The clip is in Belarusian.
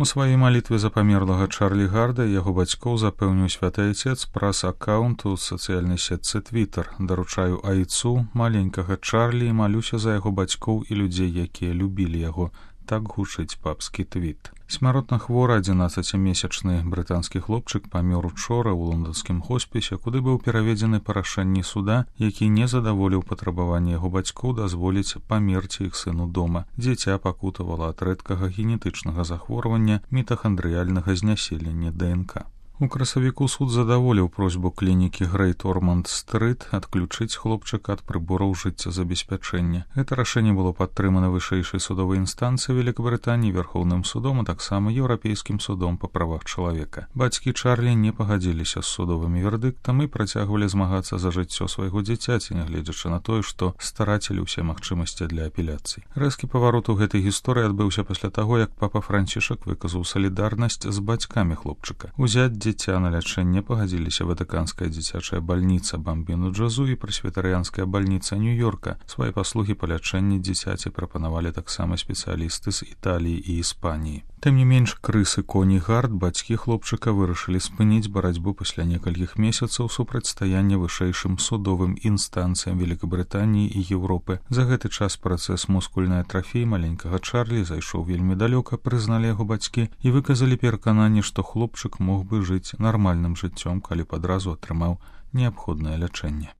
У сваёй малітве за памерлага Чарлі Гарда яго бацькоў запэўніў святы айцец праз аккаунт у сацыяльнай сетцы Твіттер. Даручаю айцу маленькага Чарлі і малюся за яго бацькоў і людзей, якія любілі яго. Так гучыць папскі твіт. Смяротна хворы 11-месячны брытанскі хлопчык памёр учора ў лонданскім хоспісе, куды быў пераведзены па рашэнні суда, які не задаволіў патрабаванне яго бацькоў дазволіць памерці іх сыну дома. Дзіця пакутавала ад рэдкага генетычнага захворвання мітахандрыяльнага знясілення ДНК. У красавіку суд задаволіў просьбу клінікі Грэйт Орманд-стрыт адключыць хлопчыка ад прыбораў жыццезабеспячэння. Гэта рашэнне было падтрымана вышэйшай судовай інстанцыі Великабрытаніі, Верхоўным судом, а таксама Еўрапейскім судом па правах чалавека. Бацькі Чарлі не пагадзіліся з судовымі вердыктам і працягвалі змагацца за жыццё свайго дзіцяці, нягледзячы на тое, што старацілі ўсе магчымасці для апеляцый. Рэзкі паварот у гэтай гісторыі адбыўся пасля таго, як папа Францішак выказаў салідарнасць з бацькамі хлопчыка. Узяць дзіця на лячэнне пагадзіліся Ватыканская дзіцячая бальніца Бамбіну Джазу і прэсвітарыянская бальніца Нью-Йорка. Свае паслугі па лячэнні дзіцяці прапанавалі таксама спецыялісты з Італіі і Іспаніі. Тым не менш, Крыс і Коні Гард, бацькі хлопчыка, вырашылі спыніць барацьбу пасля некалькіх месяцаў супрацьстаяння вышэйшым судовым інстанцыям Великабрытаніі і Еўропы. За гэты час працэс мускульнай атрафіі маленькага Чарлі зайшоў вельмі далёка, прызналі яго бацькі і выказалі перакананне, што хлопчык мог бы жыць нармальным жыццём, калі б адразу атрымаў неабходнае лячэнне.